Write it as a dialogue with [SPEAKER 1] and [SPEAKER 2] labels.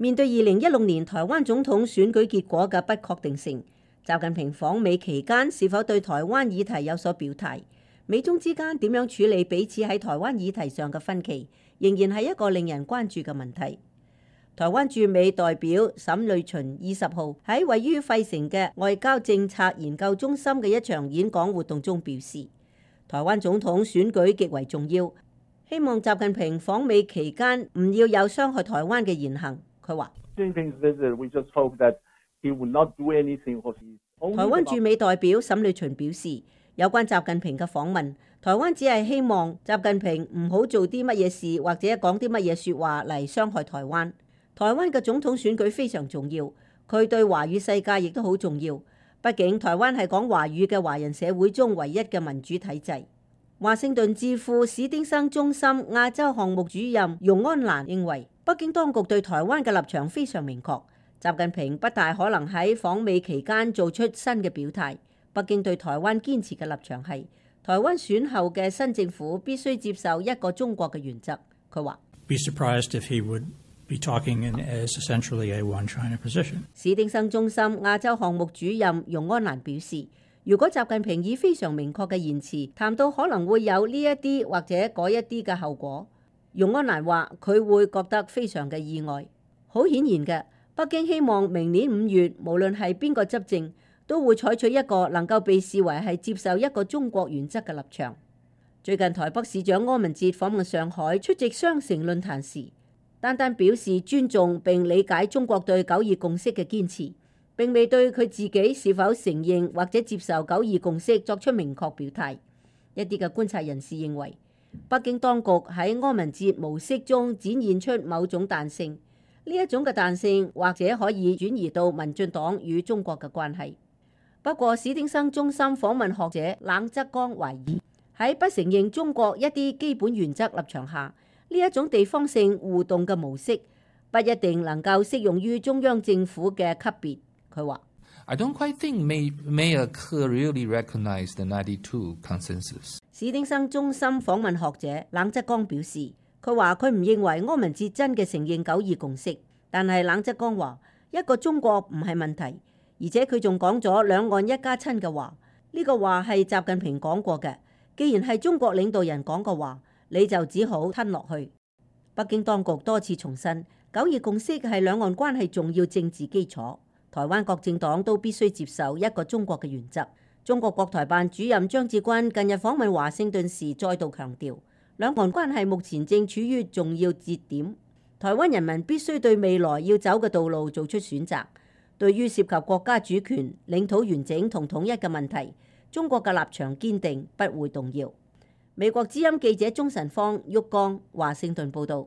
[SPEAKER 1] 面對2016年台灣總統選舉結果嘅不確定性，習近平訪美期間是否對台灣議題有所表態？美中之間點樣處理彼此喺台灣議題上嘅分歧，仍然係一個令人關注嘅問題。台灣駐美代表沈瑞群20號喺位於費城嘅外交政策研究中心嘅一場演講活動中表示，台灣總統選舉極為重要，希望習近平訪美期間唔要有傷害台灣嘅言行。佢話：台灣駐美代表沈瑞群表示，有關習近平嘅訪問，台灣只係希望習近平唔好做啲乜嘢事或者講啲乜嘢説話嚟傷害台灣。台灣嘅總統選舉非常重要，佢對華語世界亦都好重要。畢竟台灣係講華語嘅華人社會中唯一嘅民主體制。華盛頓智庫史丁生中心亞洲項目主任容安蘭認為，北京當局對台灣嘅立場非常明確，習近平不大可能喺訪美期間做出新嘅表態。北京對台灣堅持嘅立場係，台灣選後嘅新政府必須接受一個中國嘅原則。佢話：史丁生中心亞洲項目主任容安蘭表示，如果習近平以非常明確嘅言辭談到可能會有呢一啲或者嗰一啲嘅後果，容安蘭話佢會覺得非常嘅意外。好顯然嘅，北京希望明年5月無論係邊個執政，都會採取一個能夠被視為係接受一個中國原則嘅立場。最近台北市長柯文哲訪問上海出席雙城論壇時，單單表示尊重並理解中國對九二共識嘅堅持，並未對佢自己是否承認或者接受九二共識作出明確表態。一啲嘅觀察人士認為，北京當局喺柯文哲模式中展現出某種彈性，呢一種嘅彈性或者可以轉移到民進黨與中國嘅關係。不過史丁生中心訪問學者冷則剛懷疑，喺不承認中國一啲基本原則立場下，呢一種地方性互動嘅模式不一定能夠適用於中央政府嘅級別。佢話
[SPEAKER 2] ：I don't quite think Mayor Ke really recognized the 92 consensus。
[SPEAKER 1] 史丁生中心訪問學者冷則剛表示，佢話佢唔認為柯文哲真嘅承認九二共識，但係冷則剛話一個中國唔係問題，而且佢仲講咗兩岸一家親嘅話，呢個話係習近平講過嘅。既然係中國領導人講嘅話，你就只好吞落去。北京當局多次重申，九二共識係兩岸關係重要政治基礎，台灣各政黨都必須接受一個中國嘅原則。中國國台辦主任張志軍近日訪問華盛頓時再度強調，兩岸關係目前正處於重要節點，台灣人民必須對未來要走嘅道路做出選擇。對於涉及國家主權、領土完整同統一嘅問題，中國嘅立場堅定，不會動搖。美國之音記者鍾晨芳、旭江華盛頓報道。